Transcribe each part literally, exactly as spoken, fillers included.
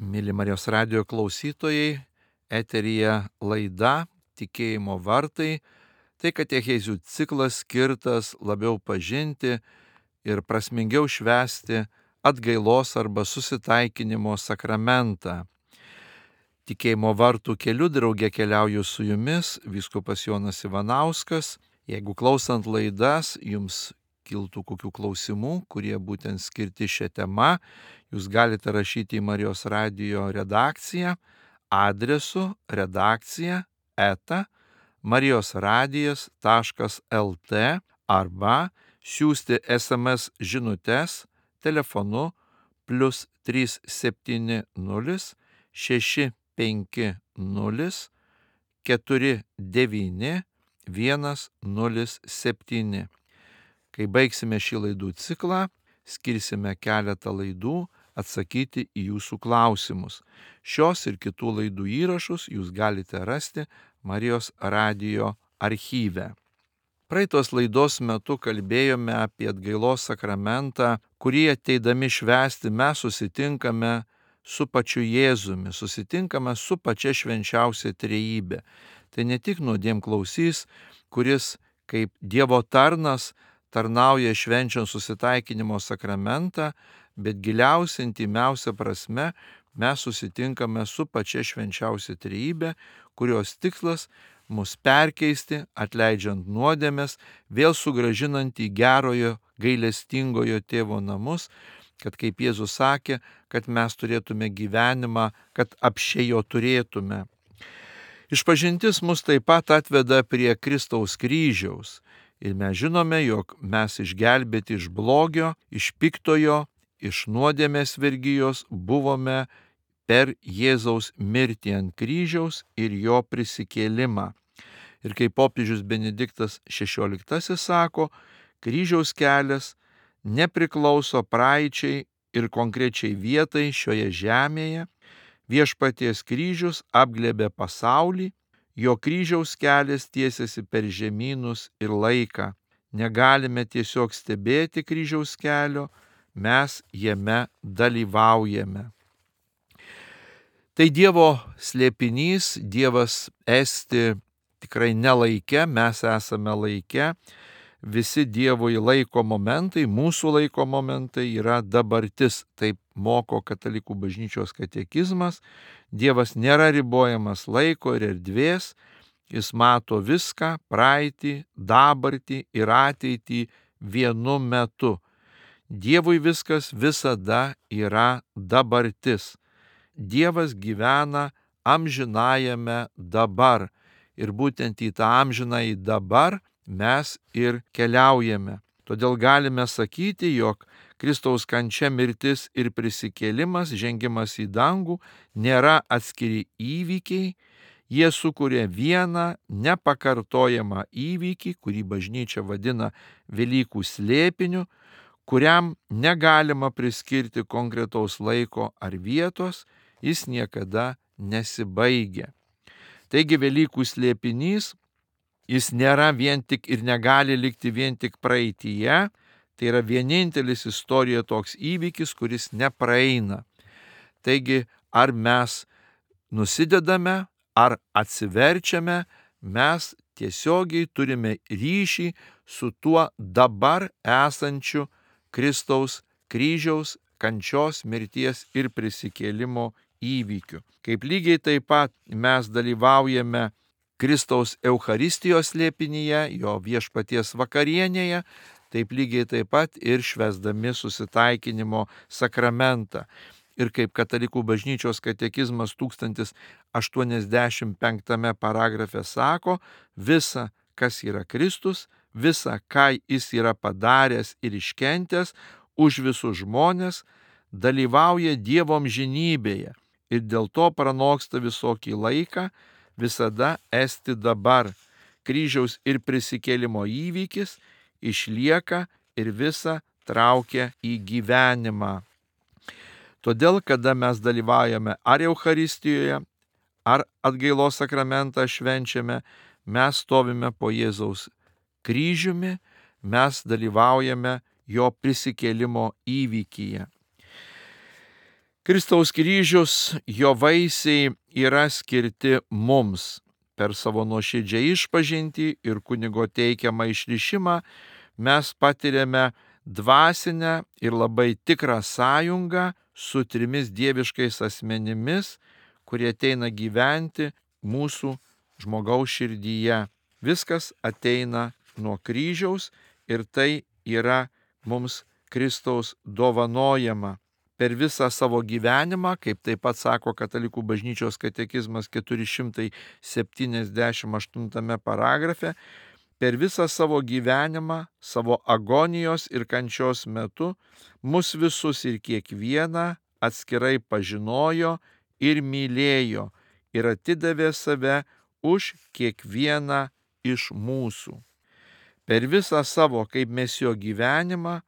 Mėly Marijos radijo klausytojai, eteryje laida Tikėjimo vartai, tai katechezių ciklas skirtas labiau pažinti ir prasmingiau švęsti atgailos arba susitaikinimo sakramentą. Tikėjimo vartų keliu drauge keliauju su jumis, vyskupas Jonas Ivanauskas. Jeigu klausant laidas jums kiltų kokių klausimų, kurie būtent skirti šią temą, jūs galite rašyti į Marijos radijo redakciją adresu redakcija eta marijosradijas taškas lt arba siųsti es em es žinutes telefonu plius trys septyni nulis šeši penki nulis keturi devyni vienas nulis septyni. Kai baigsime šį laidų ciklą, skirsime keletą laidų atsakyti į jūsų klausimus. Šios ir kitų laidų įrašus jūs galite rasti Marijos radijo archyve. Praeitos laidos metu kalbėjome apie atgailos sakramentą, kurį ateidami švęsti mes susitinkame su pačiu Jėzumi, susitinkame su pačia švenčiausia trejybe. Tai ne tik nuodėmklausys, kuris kaip Dievo tarnas tarnauja švenčiant susitaikinimo sakramentą, bet giliausia, intymiausia prasme mes susitinkame su pačia švenčiausia trejybe, kurios tikslas mus perkeisti, atleidžiant nuodėmes, vėl sugrąžinant į gerojo gailestingojo tėvo namus, kad kaip Jėzus sakė, kad mes turėtume gyvenimą, kad apsčiai jo turėtume. Išpažintis mus taip pat atveda prie Kristaus kryžiaus. Ir mes žinome, jog mes išgelbėti iš blogio, iš piktojo, iš nuodėmės vergijos buvome per Jėzaus mirtį ant kryžiaus ir jo prisikėlimą. Ir kaip popiežius Benediktas šešioliktasis sako, kryžiaus kelias nepriklauso praeičiai ir konkrečiai vietai šioje žemėje. Viešpaties kryžius apglėbė pasaulį, jo kryžiaus kelias tiesiasi per žemynus ir laiką. Negalime tiesiog stebėti kryžiaus kelio, mes jame dalyvaujame. Tai Dievo slėpinys, Dievas esti tikrai ne laike, mes esame laike. Visi Dievui laiko momentai, mūsų laiko momentai yra dabartis, taip moko Katalikų bažnyčios katekizmas. Dievas nėra ribojamas laiko ir erdvės, jis mato viską, praeitį, dabartį ir ateitį vienu metu. Dievui viskas visada yra dabartis. Dievas gyvena amžinajame dabar ir būtent į tą amžinąjį dabar mes ir keliaujame. Todėl galime sakyti, jog Kristaus kančia, mirtis ir prisikėlimas, žengimas į dangų nėra atskiri įvykiai, jie sukuria vieną nepakartojamą įvykį, kurį bažnyčia vadina Velykų slėpiniu, kuriam negalima priskirti konkretaus laiko ar vietos, jis niekada nesibaigia. Taigi Velykų slėpinys, jis nėra vien tik ir negali likti vien tik praeityje, tai yra vienintelis istorijoje toks įvykis, kuris nepraeina. Taigi, ar mes nusidedame, ar atsiverčiame, mes tiesiogiai turime ryšį su tuo dabar esančiu Kristaus kryžiaus, kančios, mirties ir prisikėlimo įvykiu. Kaip lygiai taip pat mes dalyvaujame Kristaus Eucharistijos slėpinyje, jo viešpaties vakarienėje, taip lygiai taip pat ir švęsdami susitaikinimo sakramentą. Ir kaip Katalikų bažnyčios katekizmas tūkstantis aštuoniasdešimt penktame paragrafe sako, visa, kas yra Kristus, visa, ką jis yra padaręs ir iškentęs už visus žmonės, dalyvauja Dievo amžinybėje ir dėl to pranoksta visokį laiką, visada esti dabar. Kryžiaus ir prisikėlimo įvykis išlieka ir visa traukia į gyvenimą. Todėl, kada mes dalyvaujame ar Eucharistijoje, ar atgailos sakramentą švenčiame, mes stovime po Jėzaus kryžiumi, mes dalyvaujame jo prisikėlimo įvykyje. Kristaus kryžius, jo vaisiai yra skirti mums. Per savo nuoširdžią išpažintį ir kunigo teikiamą išrišimą mes patiriame dvasinę ir labai tikrą sąjungą su trimis dieviškais asmenimis, kurie ateina gyventi mūsų žmogaus širdyje. Viskas ateina nuo kryžiaus ir tai yra mums Kristaus dovanojama. Per visą savo gyvenimą, kaip taip pat sako Katalikų bažnyčios katekizmas keturi šimtai septyniasdešimt aštuntame paragrafe, per visą savo gyvenimą, savo agonijos ir kančios metu, mus visus ir kiekvieną atskirai pažinojo ir mylėjo ir atidavė save už kiekvieną iš mūsų. Per visą savo kaip mesijo gyvenimą,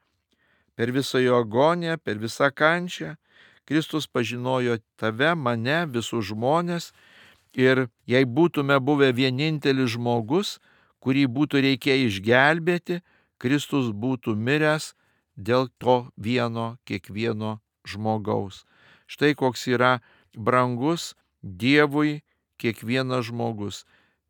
per visą jo agoniją, per visą kančią, Kristus pažinojo tave, mane, visus žmonės ir jei būtume buvę vienintelis žmogus, kurį būtų reikėję išgelbėti, Kristus būtų miręs dėl to vieno kiekvieno žmogaus. Štai koks yra brangus Dievui kiekvienas žmogus.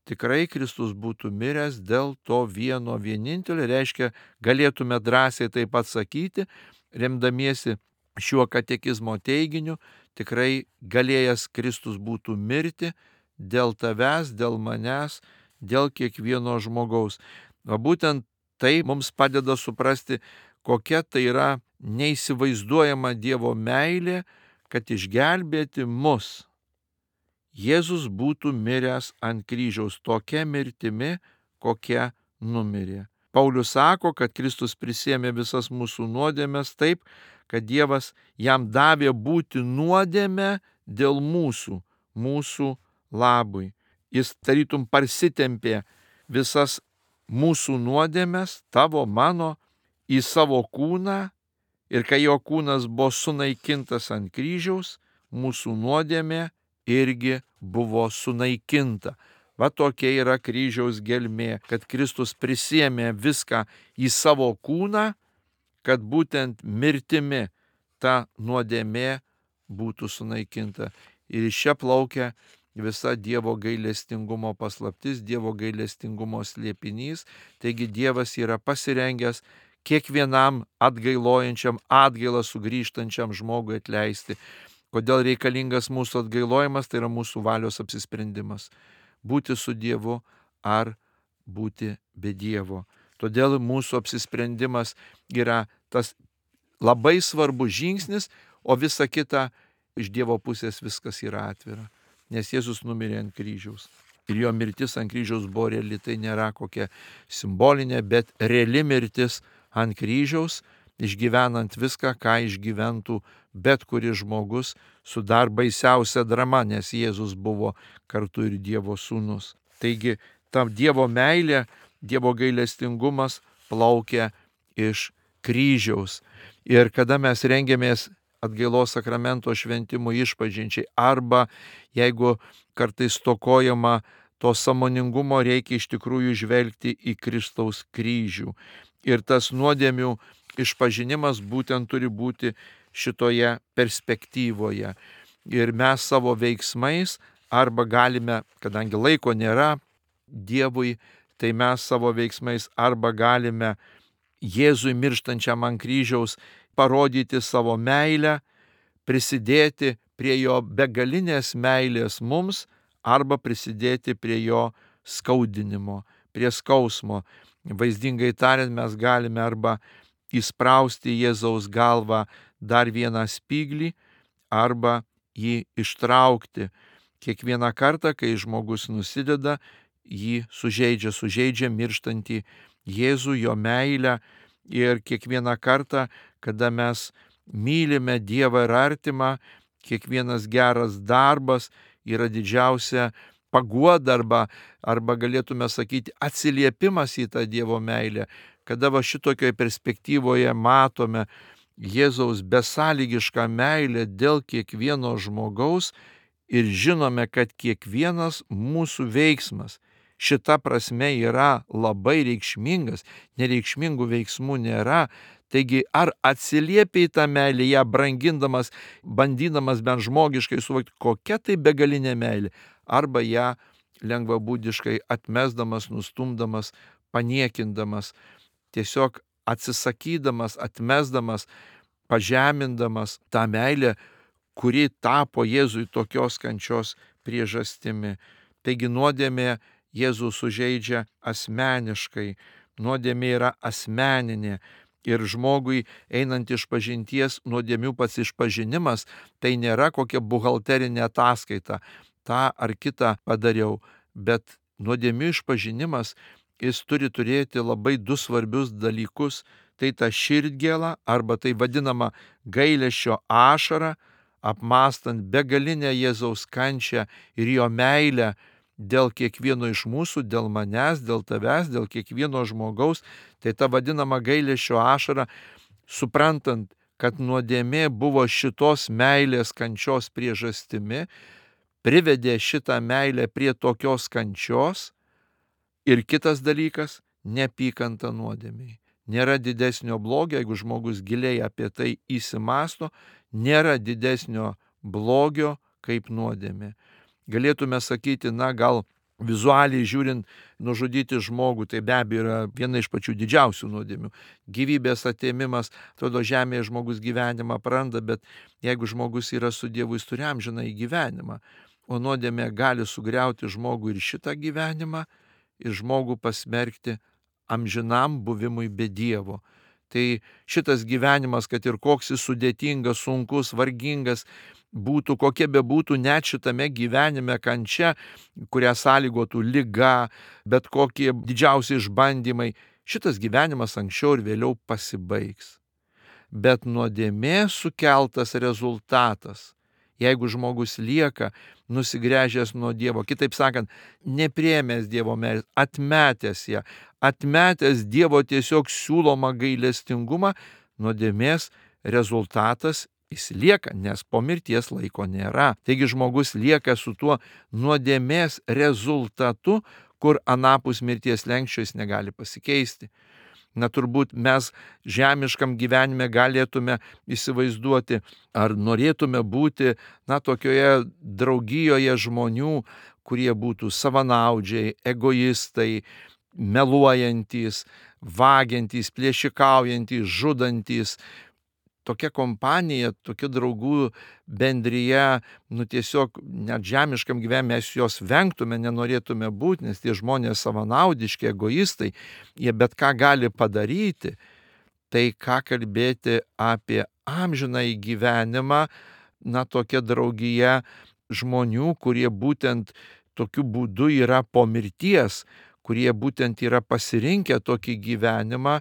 Tikrai Kristus būtų miręs dėl to vieno vienintelio, reiškia, galėtume drąsiai taip pat sakyti, remdamiesi šiuo katekizmo teiginiu, tikrai galėjęs Kristus būtų mirti dėl tavęs, dėl manęs, dėl kiekvieno žmogaus. O būtent tai mums padeda suprasti, kokia tai yra neįsivaizduojama Dievo meilė, kad išgelbėti mus Jėzus būtų miręs ant kryžiaus tokia mirtimi, kokia numirė. Paulius sako, kad Kristus prisėmė visas mūsų nuodėmes taip, kad Dievas jam davė būti nuodėme dėl mūsų, mūsų labui. Jis tarytum parsitempė visas mūsų nuodėmes, tavo, mano, į savo kūną ir kai jo kūnas buvo sunaikintas ant kryžiaus, mūsų nuodėmė irgi buvo sunaikinta. Va tokia yra kryžiaus gelmė, kad Kristus prisėmė viską į savo kūną, kad būtent mirtimi ta nuodėmė būtų sunaikinta. Ir iš čia plaukia visa Dievo gailestingumo paslaptis, Dievo gailestingumo slėpinys. Taigi Dievas yra pasirengęs kiekvienam atgailojančiam, atgailą sugrįžtančiam žmogui atleisti. Kodėl reikalingas mūsų atgailojimas, tai yra mūsų valios apsisprendimas. Būti su Dievu ar būti be Dievo. Todėl mūsų apsisprendimas yra tas labai svarbus žingsnis, o visa kita iš Dievo pusės viskas yra atvira. Nes Jėzus numirė ant kryžiaus. Ir jo mirtis ant kryžiaus buvo reali, tai nėra kokia simbolinė, bet reali mirtis ant kryžiaus, išgyvenant viską, ką išgyventų bet kuris žmogus su dar baisiausia drama, nes Jėzus buvo kartu ir Dievo sūnus. Taigi, ta Dievo meilė, Dievo gailestingumas plaukia iš kryžiaus. Ir kada mes rengiamės atgailos sakramento šventimo išpažinčiai, arba jeigu kartais stokojama to sąmoningumo, reikia iš tikrųjų žvelgti į Kristaus kryžių. Ir tas nuodėmių išpažinimas būtent turi būti šitoje perspektyvoje. Ir mes savo veiksmais arba galime, kadangi laiko nėra Dievui, tai mes savo veiksmais arba galime Jėzui mirštančiam ant kryžiaus parodyti savo meilę, prisidėti prie jo begalinės meilės mums, arba prisidėti prie jo skaudinimo, prie skausmo. Vaizdingai tariant, mes galime arba įsprausti Jėzaus galvą dar vieną spyglį, arba jį ištraukti. Kiekvieną kartą, kai žmogus nusideda, jį sužeidžia, sužeidžia mirštantį Jėzų, jo meilę. Ir kiekvieną kartą, kada mes mylime Dievą ir artimą, kiekvienas geras darbas yra didžiausia paguoda arba, arba galėtume sakyti atsiliepimas į tą Dievo meilę. Kada va šitokioje perspektyvoje matome Jėzaus besąlygišką meilę dėl kiekvieno žmogaus ir žinome, kad kiekvienas mūsų veiksmas šita prasme yra labai reikšmingas, nereikšmingų veiksmų nėra, Taigi, ar atsiliepi į tą meilę, ją brangindamas, bandydamas bent žmogiškai suvokti, kokia tai begalinė meilė, arba ją lengvabūdiškai atmesdamas, nustumdamas, paniekindamas, tiesiog atsisakydamas, atmesdamas, pažemindamas tą meilę, kuri tapo Jėzui tokios kančios priežastimi. Taigi nuodėmė Jėzų sužeidžia asmeniškai, nuodėmė yra asmeninė ir žmogui einant iš pažinties nuodėmių pats išpažinimas tai nėra kokia buhalterinė ataskaita, tą ar kitą padariau, bet nuodėmių išpažinimas jis turi turėti labai du svarbius dalykus, tai ta širdgėla arba tai vadinama gailesčio ašara, apmąstant begalinę Jėzaus kančią ir jo meilę dėl kiekvieno iš mūsų, dėl manęs, dėl tavęs, dėl kiekvieno žmogaus, tai ta vadinama gailesčio ašara, suprantant, kad nuodėmė buvo šitos meilės kančios priežastimi, privedė šitą meilę prie tokios kančios. Ir kitas dalykas - neapykanta nuodėmei. Nėra didesnio blogio, jeigu žmogus giliai apie tai įsimąsto, nėra didesnio blogio kaip nuodėmė. Galėtume sakyti, na gal vizualiai žiūrint, nužudyti žmogų, tai be abejo yra viena iš pačių didžiausių nuodėmių. Gyvybės atėmimas, atrodo, žemėje žmogus gyvenimą praranda, bet jeigu žmogus yra su Dievu, jis turi amžiną į gyvenimą, o nuodėmė gali sugriauti žmogų ir šitą gyvenimą, ir žmogų pasmerkti amžinam buvimui be Dievo. Tai šitas gyvenimas, kad ir koks jis sudėtingas, sunkus, vargingas būtų, kokia bebūtų net šitame gyvenime kančia, kurią sąlygotų liga, bet kokie didžiausi išbandymai, šitas gyvenimas anksčiau ir vėliau pasibaigs. Bet nuodėmė sukeltas rezultatas, jeigu žmogus lieka nusigręžęs nuo Dievo, kitaip sakant, nepriėmęs Dievo meilės, atmetęs ją, atmetęs Dievo tiesiog siūlomą gailestingumą, nuodėmės rezultatas jis lieka, nes po mirties laiko nėra. Taigi žmogus lieka su tuo nuodėmės rezultatu, kur anapus mirties slenksčio jis negali pasikeisti. Na turbūt mes žemiškam gyvenime galėtume įsivaizduoti, ar norėtume būti, na, tokioje draugijoje žmonių, kurie būtų savanaudžiai, egoistai, meluojantys, vagiantys, plėšikaujantys, žudantys. Tokia kompanija, tokia draugų bendrija, nu tiesiog net žemiškam gyvenime mes jos vengtume, nenorėtume būti, nes tie žmonės savanaudiški, egoistai, jie bet ką gali padaryti. Tai ką kalbėti apie amžinąjį gyvenimą, na tokia draugija žmonių, kurie būtent tokiu būdu yra po mirties, kurie būtent yra pasirinkę tokį gyvenimą,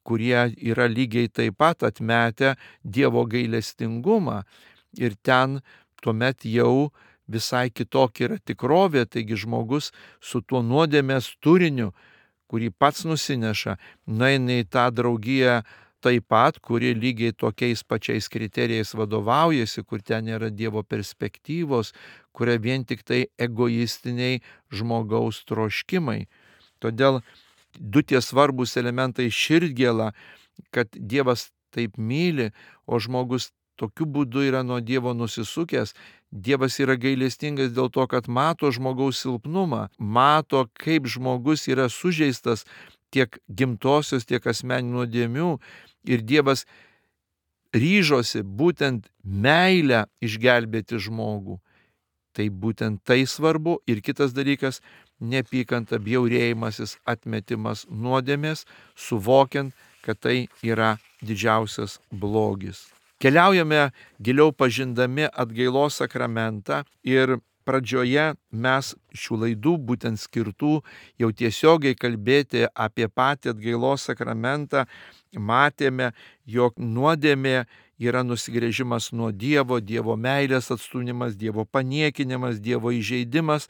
kurie yra lygiai taip pat atmetę Dievo gailestingumą. Ir ten tuomet jau visai kitokia yra tikrovė, taigi žmogus su tuo nuodėmės turiniu, kurį pats nusineša, nueina į tą draugiją taip pat, kuri lygiai tokiais pačiais kriterijais vadovaujasi, kur ten yra Dievo perspektyvos, kuria vien tik tai egoistiniai žmogaus troškimai. Todėl du tie svarbus elementai - širdgėla, kad Dievas taip myli, o žmogus tokiu būdu yra nuo Dievo nusisukęs. Dievas yra gailestingas dėl to, kad mato žmogaus silpnumą, mato, kaip žmogus yra sužeistas tiek gimtosios, tiek asmeninių nuodėmių. Ir Dievas ryžosi būtent meilę išgelbėti žmogų. Tai būtent tai svarbu. Ir kitas dalykas - neapykanta, bjaurėjimasis, atmetimas nuodėmės, suvokiant, kad tai yra didžiausias blogis. Keliaujame giliau pažindami atgailos sakramentą ir pradžioje mes šių laidų būtent skirtų jau tiesiogiai kalbėti apie patį atgailos sakramentą. Matėme, jog nuodėmė yra nusigręžimas nuo Dievo, Dievo meilės atstūmimas, Dievo paniekinimas, Dievo įžeidimas.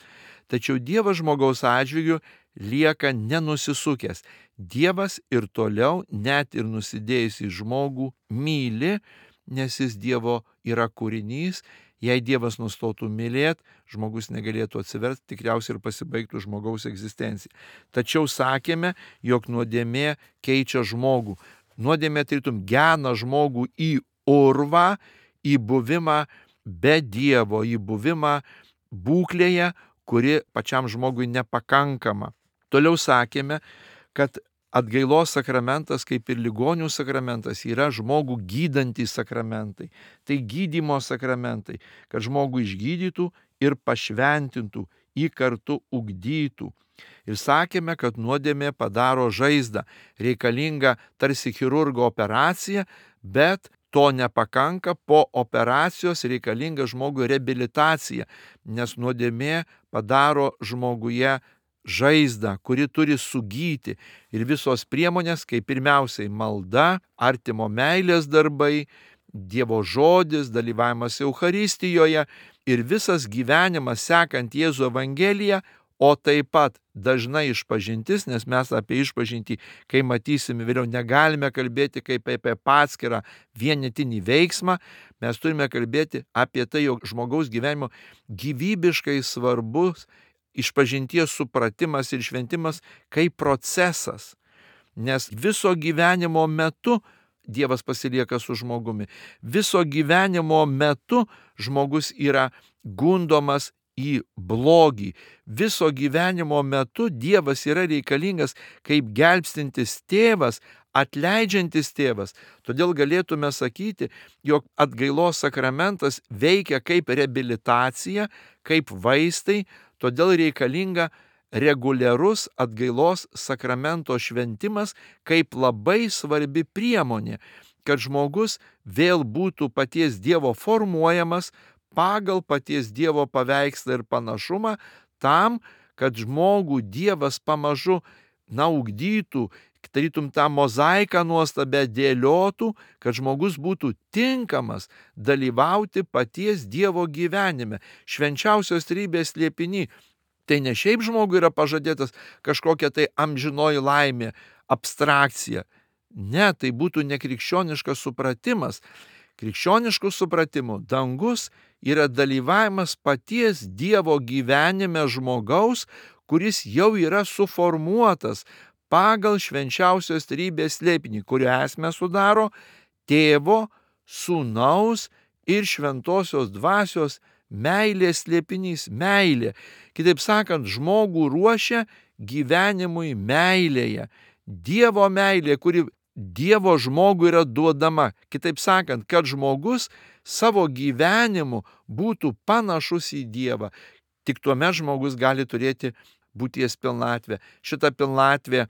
Tačiau Dievas žmogaus atžvilgiu lieka nenusisukęs. Dievas ir toliau, net ir nusidėjus į žmogų, myli, nes jis Dievo yra kūrinys. Jei Dievas nustotų mylėti, žmogus negalėtų atsiversti, tikriausiai ir pasibaigtų žmogaus egzistencija. Tačiau sakėme, jog nuodėmė keičia žmogų. Nuodėmė tarytum gena žmogų į urvą, į buvimą be Dievo, į buvimą būklėje, kuri pačiam žmogui nepakankama. Toliau sakėme, kad atgailos sakramentas, kaip ir ligonių sakramentas, yra žmogų gydantys sakramentai. Tai gydymo sakramentai, kad žmogų išgydytų ir pašventintų, jį kartu ugdytų. Ir sakėme, kad nuodėmė padaro žaizdą, reikalinga tarsi chirurgo operacija, bet to nepakanka, po operacijos reikalinga žmogui reabilitacija, nes nuodėmė padaro žmoguje žaizdą, kuri turi sugyti. Ir visos priemonės, kaip pirmiausiai malda, artimo meilės darbai, Dievo žodis, dalyvavimas Eucharistijoje ir visas gyvenimas sekant Jėzų Evangeliją, o taip pat dažnai išpažintis, nes mes apie išpažintį, kai matysime vėliau, negalime kalbėti kaip apie atskirą vienetinį veiksmą, mes turime kalbėti apie tai, jog žmogaus gyvenimo gyvybiškai svarbus išpažinties supratimas ir šventimas kaip procesas, nes viso gyvenimo metu Dievas pasilieka su žmogumi. Viso gyvenimo metu žmogus yra gundomas į blogį. Viso gyvenimo metu Dievas yra reikalingas kaip gelbstintis tėvas, atleidžiantis tėvas. Todėl galėtume sakyti, jog atgailos sakramentas veikia kaip reabilitacija, kaip vaistai, todėl reikalinga reguliarus atgailos sakramento šventimas kaip labai svarbi priemonė, kad žmogus vėl būtų paties Dievo formuojamas pagal paties Dievo paveikslą ir panašumą, tam, kad žmogų Dievas pamažu na ugdytų, tarytum tą mozaiką nuostabę dėliotų, kad žmogus būtų tinkamas dalyvauti paties Dievo gyvenime, švenčiausios trejybės slėpiny. Tai ne šiaip žmogui yra pažadėtas kažkokia tai amžinoji laimė, abstrakcija. Ne, tai būtų nekrikščioniškas supratimas. Krikščioniškų supratimų dangus yra dalyvavimas paties Dievo gyvenime žmogaus, kuris jau yra suformuotas pagal švenčiausios trejybės slėpinį, kurio esmę sudaro Tėvo, Sūnaus ir Šventosios Dvasios meilės slėpinys, meilė. Kitaip sakant, žmogų ruošia gyvenimui meilėje. Dievo meilė, kuri Dievo žmogui yra duodama. Kitaip sakant, kad žmogus savo gyvenimu būtų panašus į Dievą. Tik tuomet žmogus gali turėti būties pilnatvę. Šita pilnatvė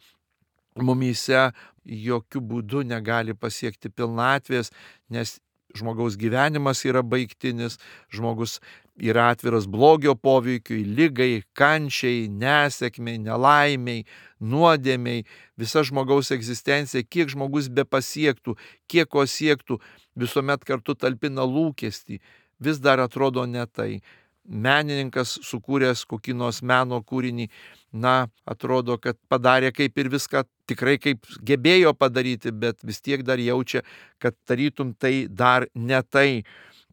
mumyse jokių būdų negali pasiekti pilnatvės, nes žmogaus gyvenimas yra baigtinis, žmogus yra atviras blogio poveikiui, lygai, kančiai, nesėkmiai, nelaimiai, nuodėmiai. Visa žmogaus egzistencija, kiek žmogus be pasiektų, kiek ko siektų, visuomet kartu talpina lūkestį. Vis dar atrodo ne tai. Menininkas sukūręs kokį nors meno kūrinį, na, atrodo, kad padarė kaip ir viską tikrai kaip gebėjo padaryti, bet vis tiek dar jaučia, kad tarytum tai dar ne tai.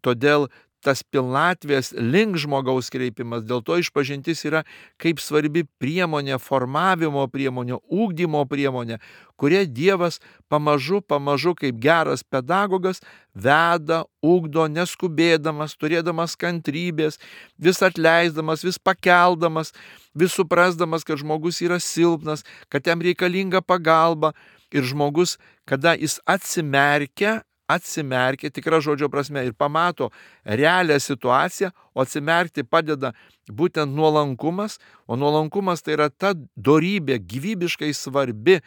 Todėl tas pilnatvės link žmogaus kreipimas, dėl to išpažintis yra kaip svarbi priemonė, formavimo priemonė, ugdymo priemonė, kuria Dievas pamažu, pamažu kaip geras pedagogas veda, ugdo, neskubėdamas, turėdamas kantrybės, vis atleisdamas, vis pakeldamas, vis suprasdamas, kad žmogus yra silpnas, kad jam reikalinga pagalba. Ir žmogus, kada jis atsimerkia, atsimerkia, tikra žodžio prasme, ir pamato realią situaciją, o atsimerkti padeda būtent nuolankumas, o nuolankumas tai yra ta dorybė gyvybiškai svarbi,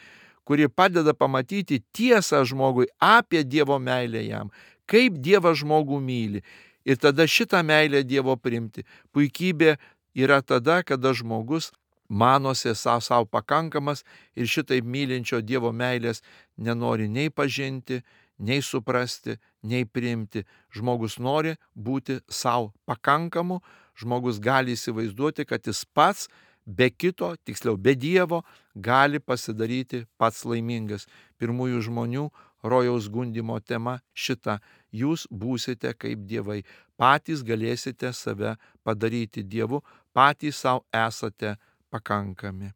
kuri padeda pamatyti tiesą žmogui apie Dievo meilę jam, kaip Dievas žmogų myli. Ir tada šitą meilę Dievo priimti. Puikybė yra tada, kada žmogus manosi savo, savo pakankamas ir šitaip mylinčio Dievo meilės nenori nei pažinti, nei suprasti, nei priimti. Žmogus nori būti savo pakankamu, žmogus gali įsivaizduoti, kad jis pats be kito, tiksliau be Dievo, gali pasidaryti pats laimingas. Pirmųjų žmonių rojaus gundymo tema šita: jūs būsite kaip dievai, patys galėsite save padaryti Dievu, patys savo esate pakankami.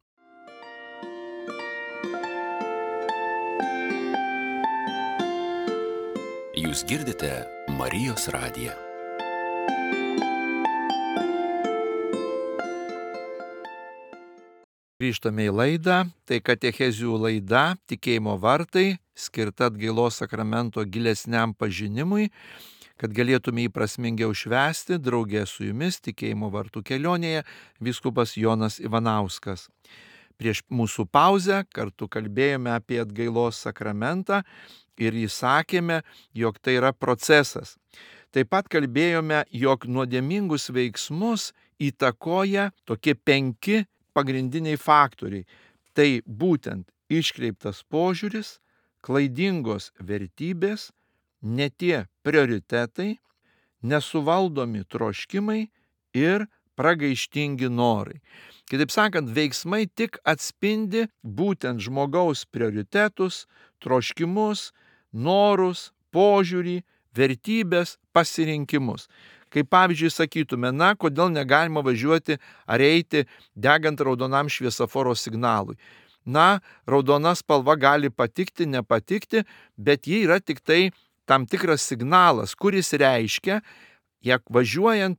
Jūs girdite Marijos radiją. Grįžtame į laidą, tai katechezių laida Tikėjimo vartai, skirta atgailos sakramento gilesniam pažinimui, kad galėtume jį prasmingiau švęsti, draugė su jumis Tikėjimo vartų kelionėje vyskupas Jonas Ivanauskas. Prieš mūsų pauzę kartu kalbėjome apie atgailos sakramentą ir įsakėme, jog tai yra procesas. Taip pat kalbėjome, jog nuodėmingus veiksmus įtakoja tokie penki pagrindiniai faktoriai. Tai būtent iškreiptas požiūris, klaidingos vertybės, ne tie prioritetai, nesuvaldomi troškimai ir pragaištingi norai. Kitaip sakant, veiksmai tik atspindi būtent žmogaus prioritetus, troškimus, norus, požiūrį, vertybės, pasirinkimus. Kaip pavyzdžiui sakytume, na, kodėl negalima važiuoti ar eiti degant raudonam šviesoforo signalui. Na, raudona spalva gali patikti, nepatikti, bet ji yra tik tai tam tikras signalas, kuris reiškia, jog važiuojant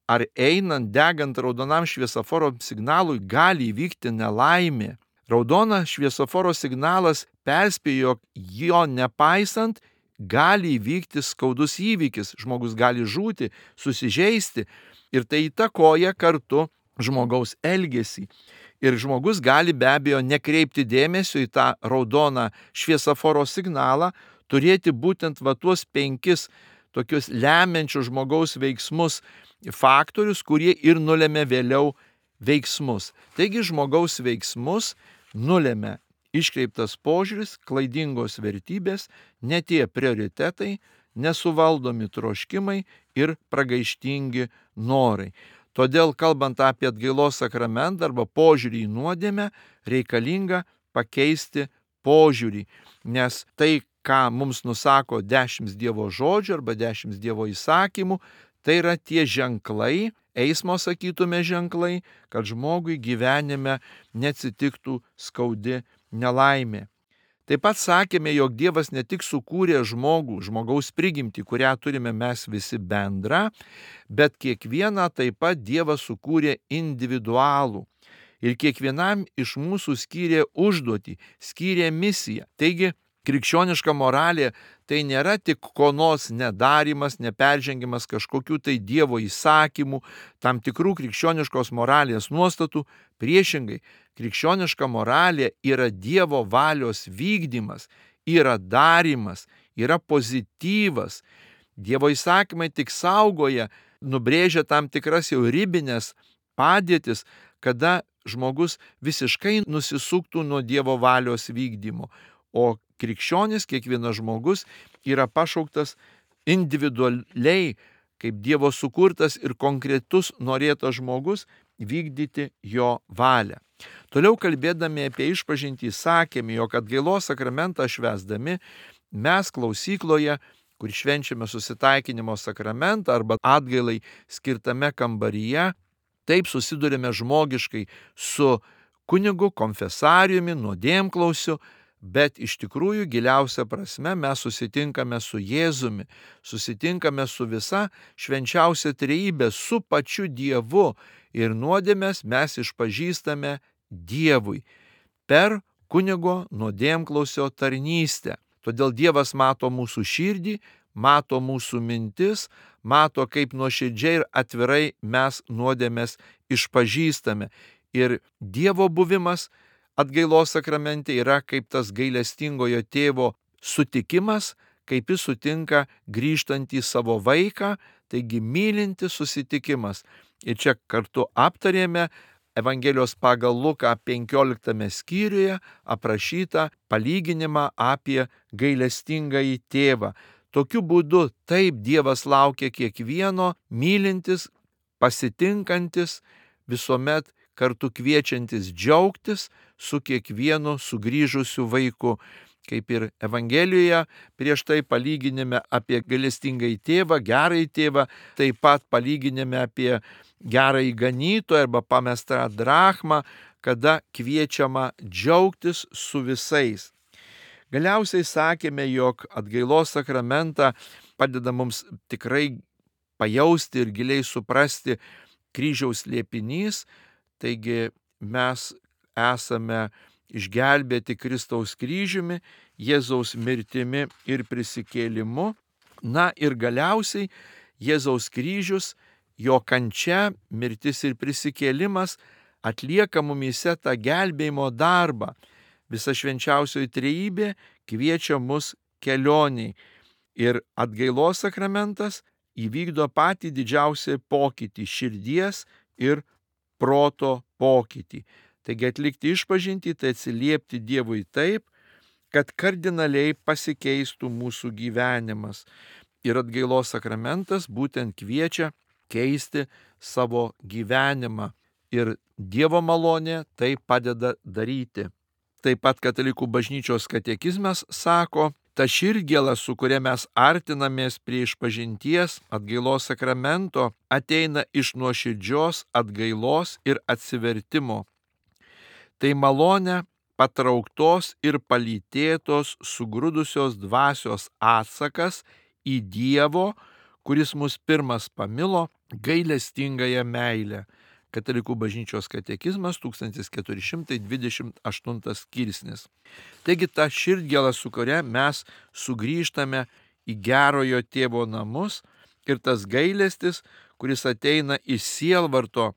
ar einant degant raudonam šviesoforo signalui gali įvykti nelaimė. Raudonas šviesoforo signalas perspėjo, jog jo nepaisant gali įvykti skaudus įvykis, žmogus gali žūti, susižeisti ir tai įtakoja kartu žmogaus elgesį. Ir žmogus gali be abejo nekreipti dėmesio į tą raudoną šviesoforo signalą, turėti būtent va tuos penkis tokius lemiančius žmogaus veiksmus faktorius, kurie ir nulėmė vėliau veiksmus. Taigi žmogaus veiksmus nulėmė iškreiptas požiūris, klaidingos vertybės, ne tie prioritetai, nesuvaldomi troškimai ir pragaištingi norai. Todėl, kalbant apie atgailos sakramentą arba požiūrį į nuodėmę, reikalinga pakeisti požiūrį, nes tai, ką mums nusako dešimt Dievo žodžių arba dešimt Dievo įsakymų, tai yra tie ženklai, eismo sakytume ženklai, kad žmogui gyvenime neatsitiktų skaudi nelaimė. Taip pat sakėme, jog Dievas ne tik sukūrė žmogų, žmogaus prigimtį, kurią turime mes visi bendrą, bet kiekvieną taip pat Dievas sukūrė individualų. Ir kiekvienam iš mūsų skyrė užduotį, skyrė misiją. Taigi, krikščioniška moralė tai nėra tik ko nors nedarimas, neperžengimas kažkokių tai Dievo įsakymų, tam tikrų krikščioniškos moralės nuostatų. Priešingai, krikščioniška moralė yra Dievo valios vykdymas, yra darimas, yra pozityvas. Dievo įsakymai tik saugoja, nubrėžia tam tikras jau ribinės padėtis, kada žmogus visiškai nusisuktų nuo Dievo valios vykdymo. O krikščionis, kiekvienas žmogus yra pašauktas individualiai, kaip Dievo sukurtas ir konkretus norėtas žmogus, vykdyti jo valią. Toliau kalbėdami apie išpažintį sakėme, jog atgailos sakramentą švęsdami mes klausykloje, kur švenčiame susitaikinimo sakramentą arba atgailai skirtame kambaryje, taip susidurime žmogiškai su kunigu, konfesariumi, nuodėmklausiu, bet iš tikrųjų giliausia prasme mes susitinkame su Jėzumi, susitinkame su visa švenčiausia trejybė, su pačiu Dievu ir nuodėmes mes išpažįstame Dievui per kunigo nuodėmklausio tarnystę. Todėl Dievas mato mūsų širdį, mato mūsų mintis, mato, kaip nuoširdžiai ir atvirai mes nuodėmes išpažįstame. Ir Dievo buvimas atgailos sakramente yra kaip tas gailestingojo tėvo sutikimas, kaip jis sutinka grįžtantį savo vaiką, taigi mylintis susitikimas. Ir čia kartu aptarėme Evangelijos pagal Luką penkioliktame skyriuje aprašytą palyginimą apie gailestingąjį tėvą. Tokiu būdu taip Dievas laukia kiekvieno mylintis, pasitinkantis, visuomet kartu kviečiantis džiaugtis su kiekvienu sugrįžusiu vaiku. Kaip ir Evangelijoje prieš tai palyginime apie gailestingąjį tėvą, gerąjį tėvą, taip pat palyginime apie gerąjį ganytoją arba pamestą drachmą, kada kviečiama džiaugtis su visais. Galiausiai sakėme, jog atgailos sakramentą padeda mums tikrai pajausti ir giliai suprasti kryžiaus slėpinys, taigi mes esame išgelbėti Kristaus kryžiumi, Jėzaus mirtimi ir prisikėlimu. Na ir galiausiai Jėzaus kryžius, jo kančia, mirtis ir prisikėlimas atlieka mumyse tą gelbėjimo darbą. Visa švenčiausioji trejybė kviečia mus kelioniai ir atgailos sakramentas įvykdo patį didžiausią pokytį, širdies ir proto pokytį. Taigi atlikti išpažintį, tai atsiliepti Dievui taip, kad kardinaliai pasikeistų mūsų gyvenimas. Ir atgailos sakramentas būtent kviečia keisti savo gyvenimą. Ir Dievo malonė tai padeda daryti. Taip pat Katalikų bažnyčios katekizmas sako, ta širdgėla, su kuria mes artinamės prie išpažinties atgailos sakramento, ateina iš nuoširdžios atgailos ir atsivertimo. Tai malonė patrauktos ir palytėtos sugrūdusios dvasios atsakas į Dievo, kuris mus pirmas pamilo, gailestingąją meilę. Katalikų bažnyčios katekizmas tūkstantis keturi šimtai dvidešimt aštuntas skirsnis. Taigi ta širdgėla, su kuria mes sugrįžtame į gerojo tėvo namus, ir tas gailestis, kuris ateina iš sielvarto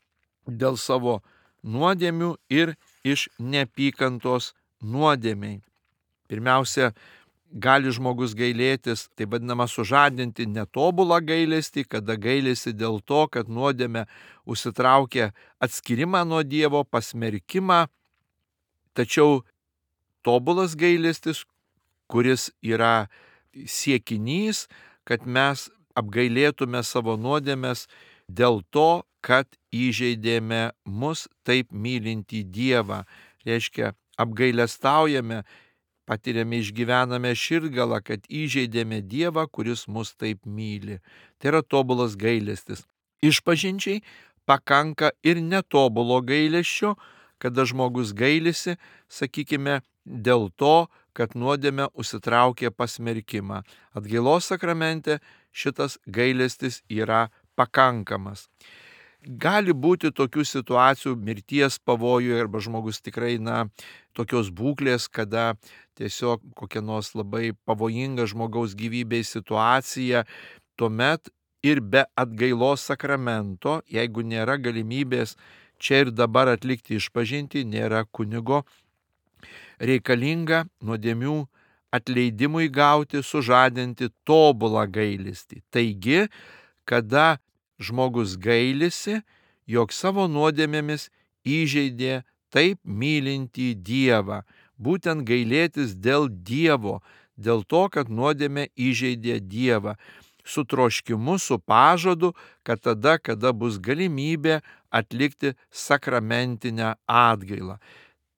dėl savo nuodėmių ir iš neapykantos nuodėmiai. Pirmiausia, gali žmogus gailėtis, tai vadinama sužadinti netobulą gailestį, kada gailėsi dėl to, kad nuodėmė užsitraukia atskirimą nuo Dievo, pasmerkimą. Tačiau tobulas gailestis, kuris yra siekinys, kad mes apgailėtume savo nuodėmes dėl to, kad įžeidėme mus taip mylintį Dievą. Reiškia, apgailestaujame, patiriame, išgyvename širdgalą, kad įžeidėme Dievą, kuris mus taip myli. Tai yra tobulas gailestis. Išpažinčiai pakanka ir netobulo gailesčio, kada žmogus gailisi, sakykime, dėl to, kad nuodėmė užsitraukė pasmerkimą. Atgailos sakramente šitas gailestis yra pakankamas. Gali būti tokių situacijų, mirties pavojų, arba žmogus tikrai, na, tokios būklės, kada tiesiog kokia nors labai pavojinga žmogaus gyvybei situacija, tuomet ir be atgailos sakramento, jeigu nėra galimybės čia ir dabar atlikti išpažintį, nėra kunigo, reikalinga nuodėmių atleidimui gauti, sužadinti tobulą gailestį. Taigi, kada žmogus gailisi, jog savo nuodėmėmis įžeidė taip mylintį Dievą. Būtent gailėtis dėl Dievo, dėl to, kad nuodėmė įžeidė Dievą. Su troškimu, su pažadu, kad tada, kada bus galimybė atlikti sakramentinę atgailą.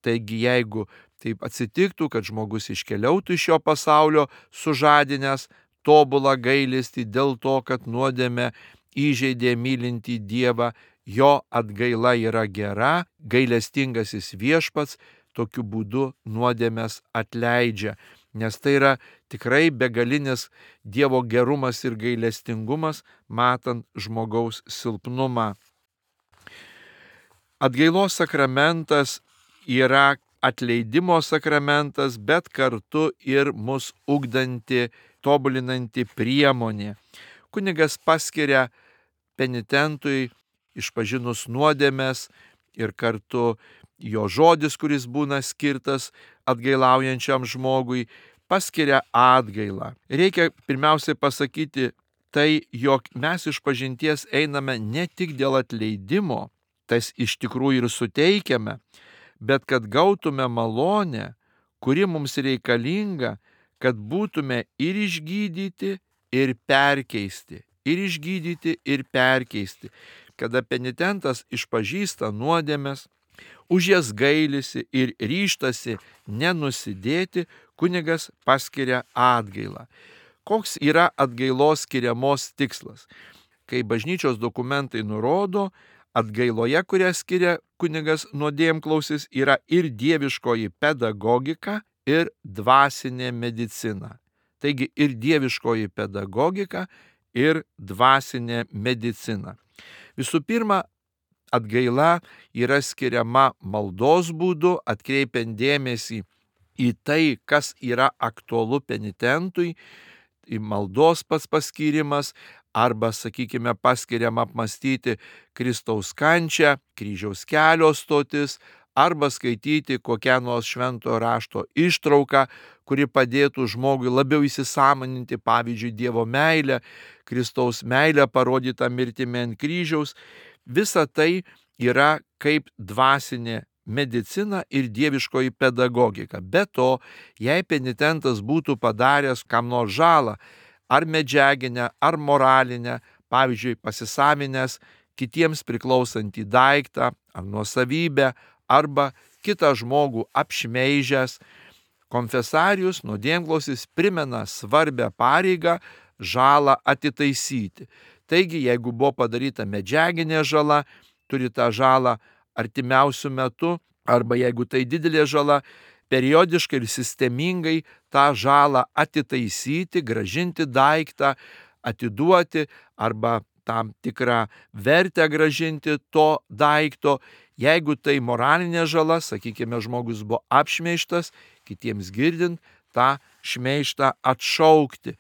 Taigi, jeigu taip atsitiktų, kad žmogus iškeliautų iš šio pasaulio sužadinęs tobulą gailestį dėl to, kad nuodėmė įžeidė mylintį Dievą, jo atgaila yra gera, gailestingasis viešpats tokiu būdu nuodėmes atleidžia, nes tai yra tikrai begalinis Dievo gerumas ir gailestingumas, matant žmogaus silpnumą. Atgailos sakramentas yra atleidimo sakramentas, bet kartu ir mus ugdanti, tobulinanti priemonė. Kunigas paskiria penitentui, išpažinus nuodėmes, ir kartu jo žodis, kuris būna skirtas atgailaujančiam žmogui, paskiria atgailą. Reikia pirmiausiai pasakyti tai, jog mes išpažinties einame ne tik dėl atleidimo, tas iš tikrųjų ir suteikiame, bet kad gautume malonę, kuri mums reikalinga, kad būtume ir išgydyti, ir perkeisti, ir išgydyti, ir perkeisti. Kada penitentas išpažįsta nuodėmes, už jas gailisi ir ryžtasi nenusidėti, kunigas paskiria atgailą. Koks yra atgailos skiriamos tikslas? Kai bažnyčios dokumentai nurodo, atgailoje, kurią skiria kunigas nuodėmklausis, yra ir dieviškoji pedagogika, ir dvasinė medicina. Taigi ir dieviškoji pedagogika, ir dvasinė medicina. Visų pirma, atgaila yra skiriama maldos būdu, atkreipiant dėmesį į tai, kas yra aktualu penitentui, į maldos pats paskyrimas, arba, sakykime, paskiriama apmastyti Kristaus kančią, kryžiaus kelio stotis, arba skaityti kokią nors šventojo rašto ištrauką, kuri padėtų žmogui labiau įsisąmoninti, pavyzdžiui, Dievo meilę, Kristaus meilę parodytą mirtimi ant kryžiaus. Visa tai yra kaip dvasinė medicina ir dieviškoji pedagogika. Be to, jei penitentas būtų padaręs kam nors žalą, ar medžiaginę, ar moralinę, pavyzdžiui, pasisavinęs kitiems priklausantį daiktą, ar nuosavybę, arba kitą žmogų apšmeižęs, konfesarius, nuodėmklausis primena svarbę pareigą žalą atitaisyti. Taigi, jeigu buvo padaryta medžiaginė žala, turi tą žalą artimiausių metų, arba jeigu tai didelė žala, periodiškai ir sistemingai tą žalą atitaisyti, gražinti daiktą, atiduoti, arba tam tikrą vertę gražinti to daikto. Jeigu tai moralinė žala, sakykime, žmogus buvo apšmeižtas, kitiems girdint, tą šmeižtą atšaukti.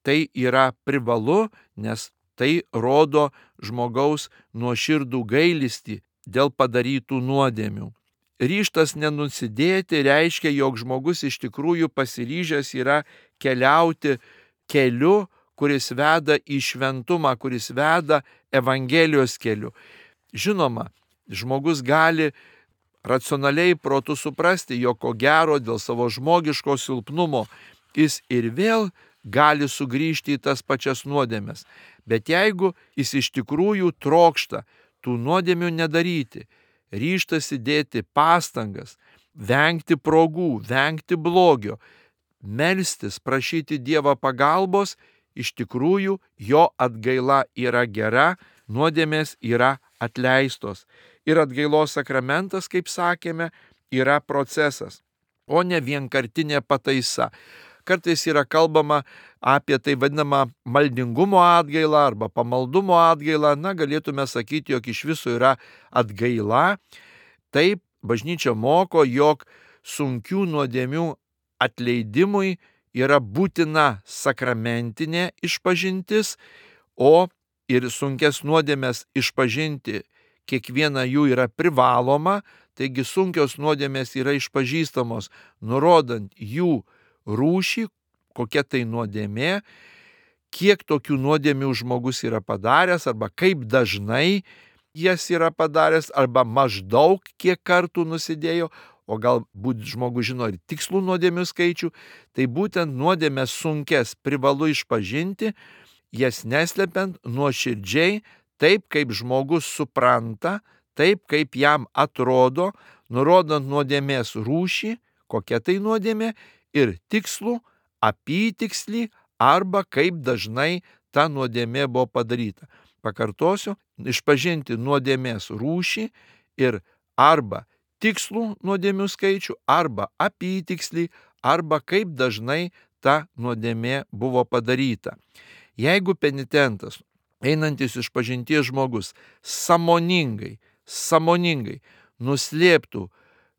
Tai yra privalu, nes tai rodo žmogaus nuoširdų gailestį dėl padarytų nuodėmių. Ryžtas nenusidėti reiškia, jog žmogus iš tikrųjų pasiryžęs yra keliauti keliu, kuris veda į šventumą, kuris veda Evangelijos keliu. Žinoma, žmogus gali racionaliai protu suprasti, jog ko gero dėl savo žmogiško silpnumo jis ir vėl gali sugrįžti į tas pačias nuodėmes. Bet jeigu jis iš tikrųjų trokšta tų nuodėmių nedaryti, ryžtasi dėti pastangas, vengti progų, vengti blogio, melstis, prašyti Dievo pagalbos, iš tikrųjų jo atgaila yra gera, nuodėmės yra atleistos. Ir atgailos sakramentas, kaip sakėme, yra procesas, o ne vienkartinė pataisa. Kartais yra kalbama apie tai vadinamą maldingumo atgailą arba pamaldumo atgailą. Na, galėtume sakyti, jog iš viso yra atgaila. Taip, bažnyčia moko, jog sunkių nuodėmių atleidimui yra būtina sakramentinė išpažintis, o ir sunkes nuodėmes išpažinti kiekviena jų yra privaloma, taigi sunkios nuodėmės yra išpažįstamos, nurodant jų rūšį, kokia tai nuodėmė, kiek tokių nuodėmių žmogus yra padaręs, arba kaip dažnai jas yra padaręs, arba maždaug kiek kartų nusidėjo, o galbūt žmogus žino ir tikslų nuodėmių skaičių, tai būtent nuodėmės sunkes privalu išpažinti, jas neslepiant, nuoširdžiai, taip kaip žmogus supranta, taip kaip jam atrodo, nurodant nuodėmės rūšį, kokia tai nuodėmė, ir tikslų, apytikslį, arba kaip dažnai ta nuodėmė buvo padaryta. Pakartosiu, išpažinti nuodėmės rūšį ir arba tikslų nuodėmių skaičių, arba apytikslį, arba kaip dažnai ta nuodėmė buvo padaryta. Jeigu penitentas, einantis išpažinties žmogus, sąmoningai, sąmoningai nuslėptų,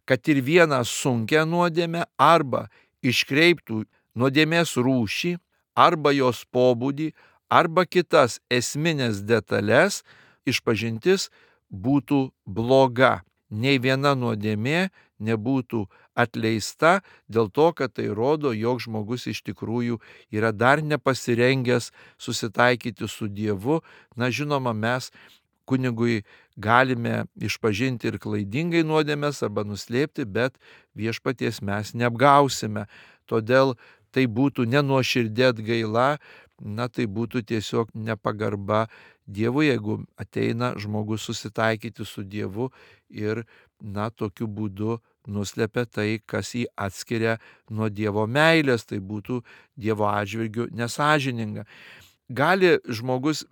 kad ir vieną sunkią nuodėmę, arba iškreiptų nuodėmės rūšį, arba jos pobūdį, arba kitas esminės detalės, išpažintis būtų bloga. Nei viena nuodėmė nebūtų atleista dėl to, kad tai rodo, jog žmogus iš tikrųjų yra dar nepasirengęs susitaikyti su Dievu. Na, žinoma, mes kunigui galime išpažinti ir klaidingai nuodėmes arba nuslėpti, bet viešpaties mes neapgausime. Todėl tai būtų nenuoširdė atgaila, na tai būtų tiesiog nepagarba Dievui, jeigu ateina žmogus susitaikyti su Dievu ir, na, tokiu būdu nuslepia tai, kas jį atskiria nuo Dievo meilės, tai būtų Dievo atžvilgiu nesąžininga. Gali žmogus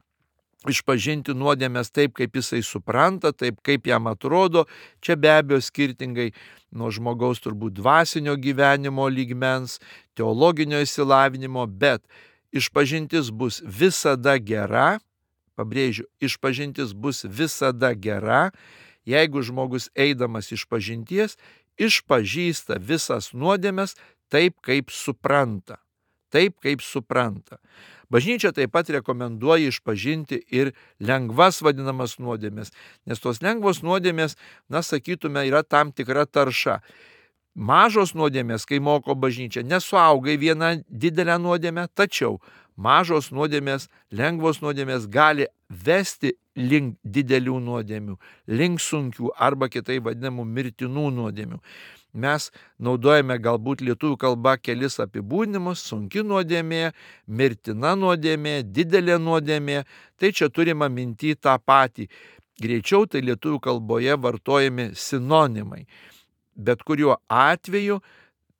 išpažinti nuodėmės taip, kaip jisai supranta, taip, kaip jam atrodo. Čia be abejo skirtingai nuo žmogaus turbūt dvasinio gyvenimo lygmens, teologinio išsilavinimo, bet išpažintis bus visada gera, pabrėžiu, išpažintis bus visada gera, jeigu žmogus eidamas išpažinties išpažįsta visas nuodėmes taip, kaip supranta. Taip, kaip supranta. Bažnyčia taip pat rekomenduoja išpažinti ir lengvas vadinamas nuodėmės, nes tos lengvos nuodėmės, na, sakytume, yra tam tikra tarša. Mažos nuodėmės, kai moko bažnyčia, nesuauga į vieną didelę nuodėmę, tačiau mažos nuodėmės, lengvos nuodėmės gali vesti link didelių nuodėmių, link sunkių arba kitaip vadinamų mirtinų nuodėmių. Mes naudojame galbūt lietuvių kalba kelis apibūdinimus: sunki nuodėmė, mirtina nuodėmė, didelė nuodėmė. Tai čia turime minty tą patį. Greičiau tai lietuvių kalboje vartojami sinonimai. Bet kuriuo atveju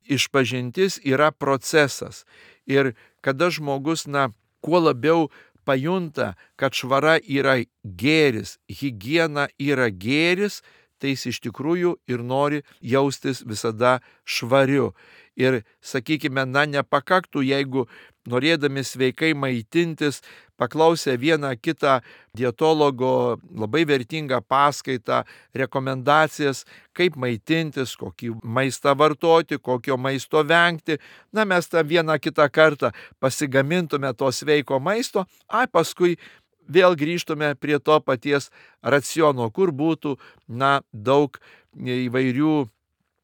išpažintis yra procesas. Ir kada žmogus, na, kuo labiau pajunta, kad švara yra gėris, higiena yra gėris, tai jis iš tikrųjų ir nori jaustis visada švariu. Ir, sakykime, na, nepakaktų, jeigu norėdami sveikai maitintis, paklausę vieną kitą dietologo labai vertingą paskaitą, rekomendacijas, kaip maitintis, kokį maistą vartoti, kokio maisto vengti, na, mes tą vieną kitą kartą pasigamintume to sveiko maisto, ai paskui vėl grįžtume prie to paties raciono, kur būtų, na, daug įvairių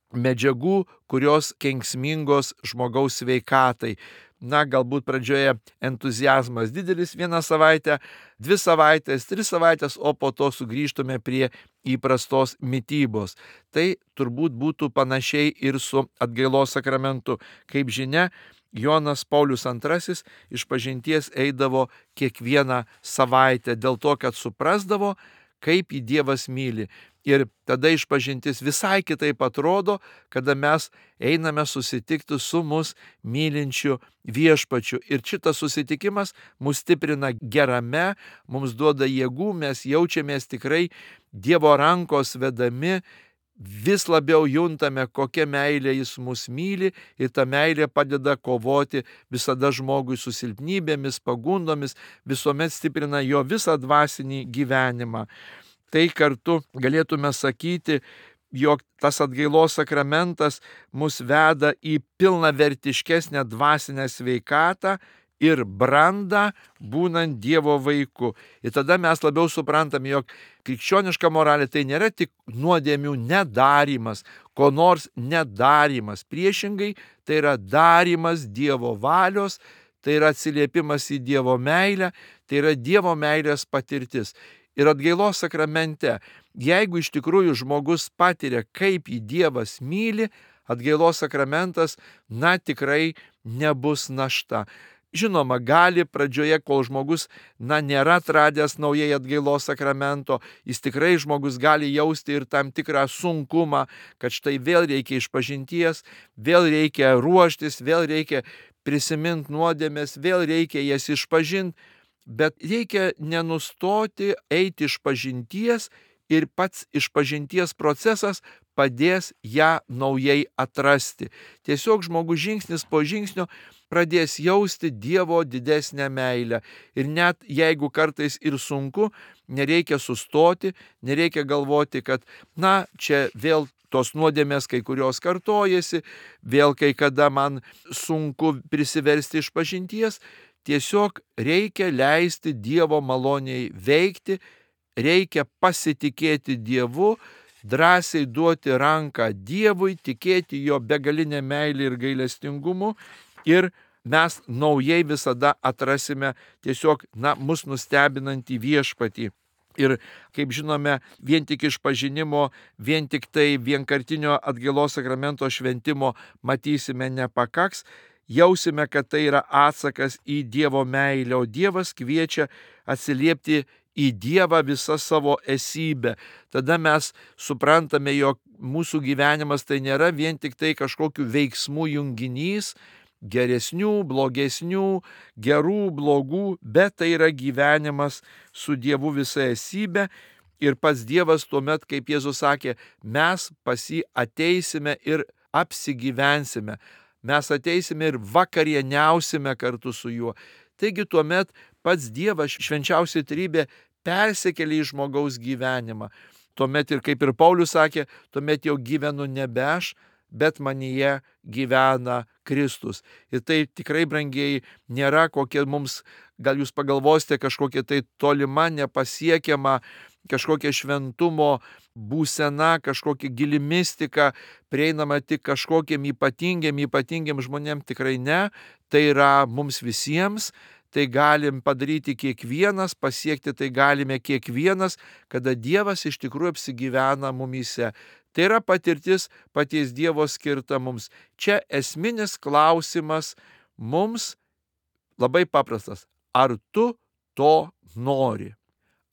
medžiagų, kurios kenksmingos žmogaus sveikatai. Na, galbūt pradžioje entuziazmas didelis vieną savaitę, dvi savaitės, tris savaitės, o po to sugrįžtume prie įprastos mitybos. Tai turbūt būtų panašiai ir su atgailos sakramentu. Kaip žinia, Jonas Paulius antrasis išpažinties eidavo kiekvieną savaitę dėl to, kad suprasdavo, kaip jį Dievas myli. Ir tada išpažintis visai kitaip atrodo, kada mes einame susitikti su mus mylinčiu viešpačiu. Ir šitas susitikimas mus stiprina gerame, mums duoda jėgų, mes jaučiamės tikrai Dievo rankos vedami, vis labiau juntame, kokia meilė jis mus myli, ir ta meilė padeda kovoti visada žmogui su silpnybėmis, pagundomis, visuomet stiprina jo visą dvasinį gyvenimą. Tai kartu galėtume sakyti, jog tas atgailos sakramentas mus veda į pilnavertiškesnę dvasinę sveikatą ir brandą, būnant Dievo vaiku. Ir tada mes labiau suprantame, jog krikščioniška moralė tai nėra tik nuodėmių nedarymas, ko nors nedarymas. Priešingai, tai yra darymas Dievo valios, tai yra atsiliepimas į Dievo meilę, tai yra Dievo meilės patirtis. Ir atgailos sakramente, jeigu iš tikrųjų žmogus patiria, kaip jį Dievas myli, atgailos sakramentas, na, tikrai nebus našta. Žinoma, gali pradžioje, kol žmogus, na, nėra atradęs naujai atgailos sakramento, jis tikrai žmogus gali jausti ir tam tikrą sunkumą, kad štai vėl reikia išpažinties, vėl reikia ruoštis, vėl reikia prisiminti nuodėmes, vėl reikia jas išpažinti. Bet reikia nenustoti eiti išpažinties ir pats išpažinties procesas padės ją naujai atrasti. Tiesiog žmogus žingsnis po žingsnio pradės jausti Dievo didesnę meilę. Ir net jeigu kartais ir sunku, nereikia sustoti, nereikia galvoti, kad, na, čia vėl tos nuodėmės kai kurios kartojasi, vėl kai kada man sunku prisiversti išpažinties. Tiesiog reikia leisti Dievo maloniai veikti, reikia pasitikėti Dievu, drąsiai duoti ranką Dievui, tikėti jo begalinę meilę ir gailestingumu, ir mes naujai visada atrasime tiesiog, na, mus nustebinantį viešpatį. Ir, kaip žinome, vien tik išpažinimo, vien tik tai vienkartinio atgailos sakramento šventimo matysime nepakaks. Jausime, kad tai yra atsakas į Dievo meilę, o Dievas kviečia atsiliepti į Dievą visą savo esybę. Tada mes suprantame, jog mūsų gyvenimas tai nėra vien tik tai kažkokių veiksmų junginys, geresnių, blogesnių, gerų, blogų, bet tai yra gyvenimas su Dievu visa esybė. Ir pats Dievas tuomet, kaip Jėzus sakė, mes pas jį ateisime ir apsigyvensime. Mes ateisime ir vakarieniausime kartu su juo. Taigi tuomet pats Dievas, švenčiausia trybė, persikelia į žmogaus gyvenimą. Tuomet ir kaip ir Paulius sakė, tuomet jau gyvenu nebe aš, bet manyje gyvena Kristus. Ir tai tikrai, brangieji, nėra kokia mums, gal jūs pagalvosite, kažkokia tai tolima, nepasiekiama, kažkokia šventumo būsena, kažkokia gili mistika, prieinama tik kažkokiem ypatingiam, ypatingiam žmonėm, tikrai ne. Tai yra mums visiems, tai galim padaryti kiekvienas, pasiekti tai galime kiekvienas, kada Dievas iš tikrųjų apsigyvena mumyse. Tai yra patirtis paties Dievo skirta mums. Čia esminis klausimas mums labai paprastas. Ar tu to nori?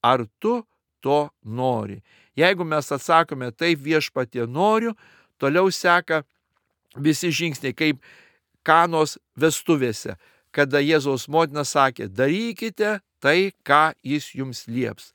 Ar tu to nori? Jeigu mes atsakome taip, Viešpatie, noriu, toliau seka visi žingsniai, kaip Kanos vestuvėse, kada Jėzaus motina sakė, darykite tai, ką jis jums lieps.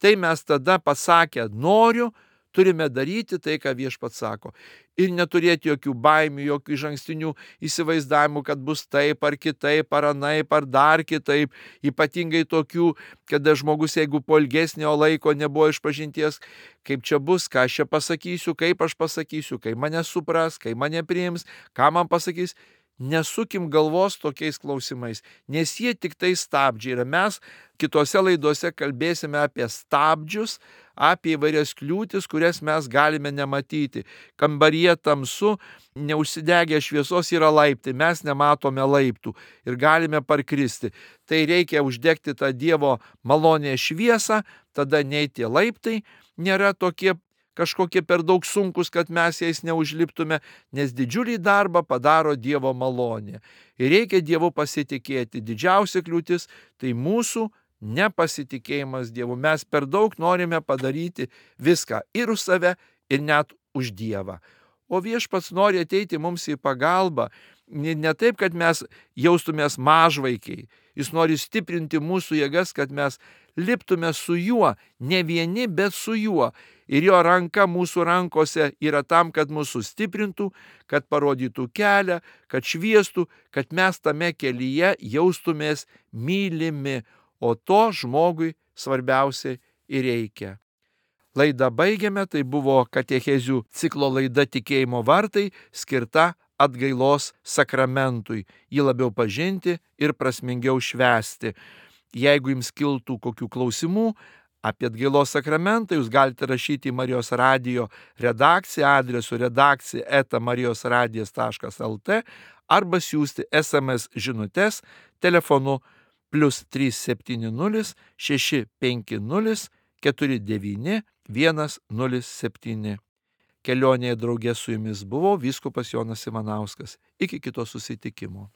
Tai mes tada pasakę noriu, turime daryti tai, ką Viešpats sako. Ir neturėti jokių baimių, jokių išankstinių įsivaizdavimų, kad bus taip ar kitaip, ar anaip, ar dar kitaip. Ypatingai tokių, kada žmogus, jeigu po ilgesnio laiko nebuvo išpažinties, kaip čia bus, ką aš čia pasakysiu, kaip aš pasakysiu, kai mane supras, kai mane priims, ką man pasakys. Nesukim galvos tokiais klausimais, nes jie tik tai stabdžiai. Ir mes kitose laidose kalbėsime apie stabdžius, apie įvairias kliūtis, kurias mes galime nematyti. Kambaryje tamsu, neužsidegę šviesos yra laiptai, mes nematome laiptų ir galime parkristi. Tai reikia uždegti tą Dievo malonę šviesą, tada nei tie laiptai nėra tokie kažkokie per daug sunkus, kad mes jais neužliptume, nes didžiulį darbą padaro Dievo malonė. Ir reikia Dievu pasitikėti. Didžiausia kliūtis tai mūsų nepasitikėjimas Dievu. Mes per daug norime padaryti viską ir už save, ir net už Dievą. O Viešpats nori ateiti mums į pagalbą. Ne taip, kad mes jaustumės mažvaikiai. Jis nori stiprinti mūsų jėgas, kad mes liptume su juo, ne vieni, bet su juo. Ir jo ranka mūsų rankose yra tam, kad mūsų stiprintų, kad parodytų kelią, kad šviestų, kad mes tame kelyje jaustumės mylimi. O to žmogui svarbiausia ir reikia. Laidą baigiame, tai buvo katechezių ciklo laida Tikėjimo vartai, skirta atgailos sakramentui, jį labiau pažinti ir prasmingiau švęsti. Jeigu jums kiltų kokių klausimų apie atgailos sakramentą, jūs galite rašyti į Marijos radijo redakciją adresu redakcija eta marijos radijas taškas lt arba siųsti es em es žinutes telefonu plius trys septyni nulis šeši penki nulis keturi devyni vienas nulis septyni. Kelionėje drauge su jumis buvo vyskupas Jonas Ivanauskas. Iki kito susitikimo.